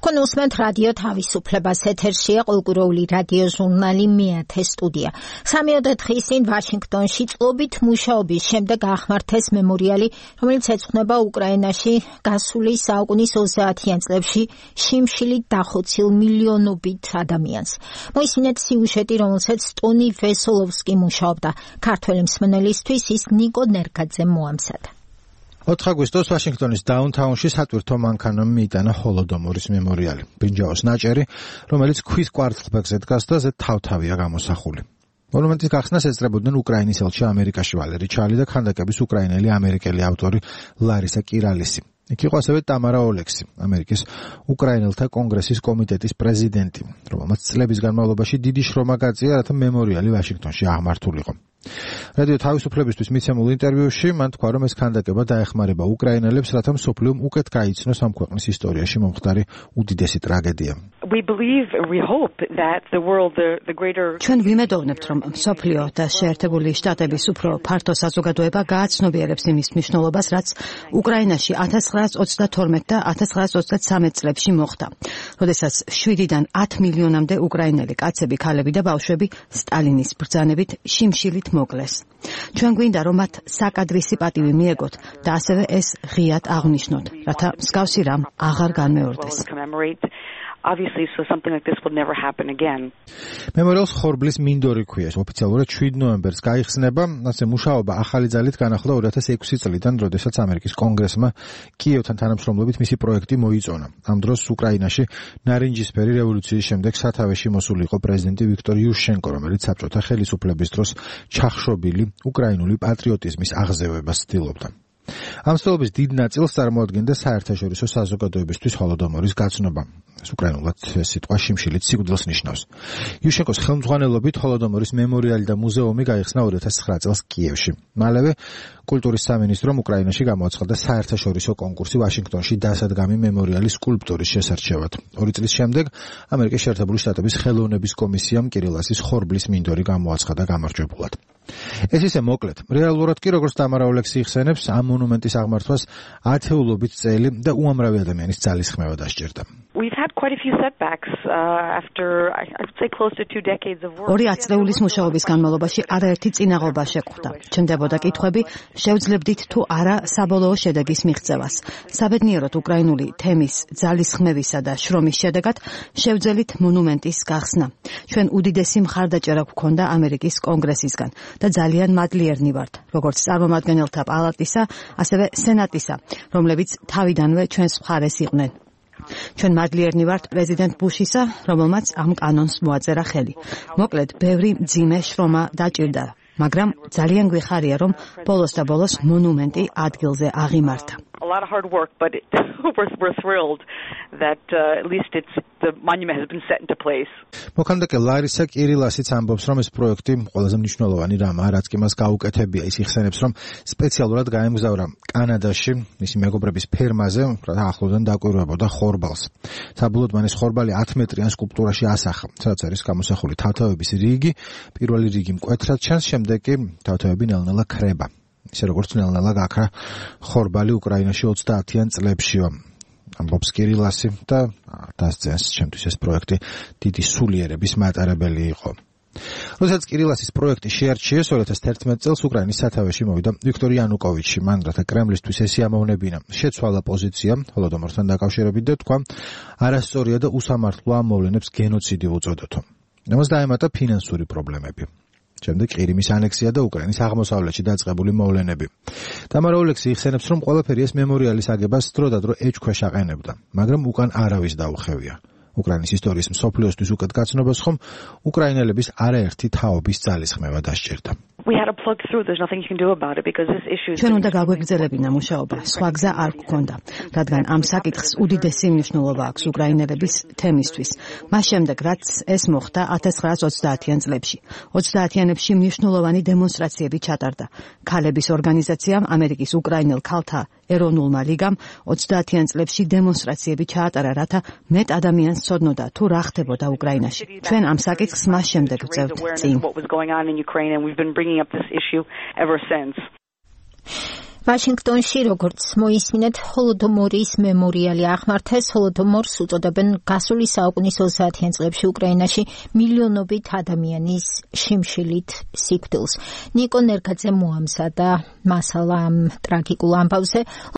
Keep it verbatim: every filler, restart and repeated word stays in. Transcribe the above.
თქვენ უსმენთ რადიო თავისუფლებას, ეთერშია ყოველკვირეული რადიო ჟურნალი მეათე სტუდია. სამიოდე დღის წინ ვაშინგტონში წლობით მუშაობის შემდეგ აღმართეს მემორიალი, რომელიც ეძღვნება უკრაინაში გასული საუკუნის ოცდაათიან წლებში შიმშილით დახოცილ მილიონობით ადამიანს. მოისმინეთ სიუჟეტი, რომელსაც ტონი ვესოლოვსკი მუშაობდა. ქართველი მსმენელისთვის ის ნიკო ნერგაძემ მოამზადა. ოთხ აგვისტოს ვაშინგტონის დაუნთაუნში სატვირთო მანქანამ მიიტანა ჰოლოდომორის მემორიალი. ბრინჯაოს ნაჭერი, რომელიც ქვის კვარცხლბეკზე დგას და ზედ თავთავია გამოსახული. მონუმენტის გახსნას ესწრებოდნენ უკრაინის ელჩი ამერიკაში ვალერი ჩალი და ქანდაკების უკრაინელი ამერიკელი ავტორი ლარისა კირალისი. იქ იყო ასევე ტამარა ოლექსი, ამერიკის უკრაინელთა კონგრესის კომიტეტის პრეზიდენტი, რომელმაც წლების განმავლობაში დიდი შრომა გაწია, რათა მემორიალი ვაშინგტონში აღმართულიყო. რადიო თავისუფლებისთვის მიცემულ ინტერვიუში მან თქვა, რომ ეს ქანდაკება დაეხმარება უკრაინელებს, რათა მსოფლიომ უკეთ გაიცნოს ამ ქვეყნის ისტორიაში მომხდარი უდიდესი ტრაგედია. ჩვენ ვიმედოვნებთ, რომ მსოფლიო და შეერთებული შტატების უფრო ფართო საზოგადოება გააცნობიერებს იმის მნიშვნელობას, რაც უკრაინაში ათას ცხრაას ოცდათორმეტ და ათას ცხრაას ოცდათსამეტ წლებში მოხდა, როდესაც შვიდიდან ათ მილიონამდე უკრაინელი კაცები, ქალები და ბავშვები სტალინის ბრძანებით შიმშილით მოკლეს. ჩვენ გვინდა, რომ მათ საკადრისი პატივი მიეგოთ და ასევე ეს ღიად აღნიშნოთ, რათა მსგავსი რამ აღარ განმეორდეს. Obviously, so something like this will never happen again. მემორიალს ხორბლის მინდორი ქვია. ოფიციალურად შვიდ ნოემბერს გაიხსნება. ასე მუშაობა ახალი ძალით განახლდა ორი ათას ექვსი წლიდან, როდესაც ამერიკის კონგრესმა კიევთან თანამშრომლობით მისი პროექტი მოიწონა. ამ დროს უკრაინაში ნარინჯისფერი რევოლუციის შემდეგ სათავეში მოსული იყო პრეზიდენტი ვიქტორ იუშენკო, რომელიც საბჭოთა ხელისუფლების დროს ჩახშობილი უკრაინული პატრიოტიზმის აღზევებას ცდილობდა. ამ ცდილობის დიდ ნაწილს წარმოადგენდა საერთაშორისო საზოგადოებისთვის ჰოლოდომორის გაცნობა. ეს უკრაინულად სიტყვა შიმშილით სიკვდილს ნიშნავს. იუშენკოს ხელმძღვანელობით ჰოლოდომორის მემორიალი და მუზეუმი გაიხსნა ორი ათას ცხრა წელს კიევში. მალევე კულტურის სამინისტრომ უკრაინაში გამოაცხადა საერთაშორისო კონკურსი ვაშინგტონში დასადგამი მემორიალის სკულპტურის შესარჩევად. ორი წლის შემდეგ ამერიკის შეერთებული შტატების ხელოვნების კომისიამ კირილასის ხორბლის მინდორი გამოაცხადა გამარჯვებულად. ეს ისე მოკლედ. რეალურად კი, როგორც ტამარა ოლექსი იხსენებს, ამ მონუმენტის აღმართვას ათეულობით წელი და უამრავი ადამიანის ძალისხმევა დასჭირდა. We've had quite a few setbacks uh, after I would say close to two decades of work. ორი ათწლეულის მუშაობის განმავლობაში არაერთი წინაღობა შეხვდა. ჩნდებოდა კითხვები, შევძლებდით თუ არა საბოლოო შედეგის მიღწევას. საბედნიეროდ უკრაინული თემის ძალისხმევისა და შრომის შედეგად შევძელით მონუმენტის გახსნა. ჩვენ უდიდესი მხარდაჭერა გვქონდა ამერიკის კონგრესისგან და ძალიან მადლიერნი ვართ, როგორც წარმომადგენელთა პალატისა, ასევე სენატისა, რომლებიც თავიდანვე ჩვენს მხარეს იყვნენ. ჩვენ მადლიერნი ვართ პრეზიდენტ ბუშისა, რომელმაც ამ კანონს მოაწერა ხელი. მოკლედ, ბევრი მძიმე შრომა დაჭირდა, მაგრამ ძალიან გვიხარია, რომ ბოლოს და ბოლოს მონუმენტი ადგილზე აღიმართა. A lot of hard work, but it, we're, we're thrilled that uh, at least it's the monument has been set into place. მოქანდაკე ლარისა კირილასიც ამბობს, რომ ეს პროექტი ყველაზე მნიშვნელოვანი რამაა, რაც კი მას გაუკეთებია. ის იხსენებს, რომ სპეციალურად გაემგზავრა კანადაში, მისი მეგობრების ფერმაზე, რათა ახლოდან დაკვირვებოდა ხორბალს. საბოლოოდ მან ეს ხორბალი ათ მეტრიან სკულპტურაში ასახა, სადაც არის გამოსახული თავთავების რიგი, პირველი რიგი მკვეთრად ჩანს, შემდეგ კი თავთავები ნელ-ნელა ქრება. ისე როგორც ნელ-ნელა გაქრა ხორბალი უკრაინაში ოცდაათიან წლებშიო. ამბობს კირილასი და დასძენს, ჩემთვის ეს პროექტი დიდი სულიერების მატარებელი იყო. როდესაც კირილასის პროექტი შეარჩიეს ორი ათას თერთმეტ წელს უკრაინის სათავეში მოვიდა ვიქტორ იანუკოვიჩი, მან რათა კრემლისთვის ეს იამოვნებინა, შეცვალა პოზიცია ჰოლოდომორთან დაკავშირებით და თქვა, არასწორია და უსამართლოა ამ მოვლენებს გენოციდი უწოდოთო. ამას დაემატა ფინანსური პრობლემები. შემდეგ ყირიმის ანექსია და უკრაინის აღმოსავლეთში დაწყებული მოვლენები. ტამარა ოლექსი იხსენებს, რომ ყველაფერი ეს მემორიალის აგებას დროდადრო ეჭქვეშ აყენებდა, მაგრამ უკან არავის დაუხევია. უკრაინის ისტორიის მსოფლიოსთვის უკეთ გაცნობას ხომ უკრაინელების არაერთი თაობის ძალისხმევა დასჭირდა. We had to plug through. There's nothing you can do about it because this issue is. ჩვენ უნდა გაგვეგრძელებინა მუშაობა. სხვა გზა არ გქონდა, რადგან ამ საკითხს უდიდესი მნიშვნელობა აქვს უკრაინელების თემისთვის. მას შემდეგ, რაც ეს მოხდა ათას ცხრაას ოცდაათიან წლებში. ოცდაათიანებში მნიშვნელოვანი დემონსტრაციები ჩატარდა. ქალების ორგანიზაციამ, ამერიკის უკრაინელ ქალთა ეროვნულმა ლიგამ ოცდაათიან წლებში დემონსტრაციები ჩაატარა, რათა მეტ ადამიანს ცოდნოდა თუ რა ხდებოდა უკრაინაში. ჩვენ ამ საკითხს მას შემდეგ ვწევთ წინ. Up this issue ever since. ვაშინგტონში, როგორც მოისმინეთ, ჰოლოდომორის მემორიალი აღმართეს. ჰოლოდომორს უწოდებენ გასული საუკუნის ოცდაათიან წლებში უკრაინაში მილიონობით ადამიანის შიმშილით სიკვდილს. ნიკო ნერგაძე მოამზადა მასალა ამ ტრაგიკულ ამბავზე.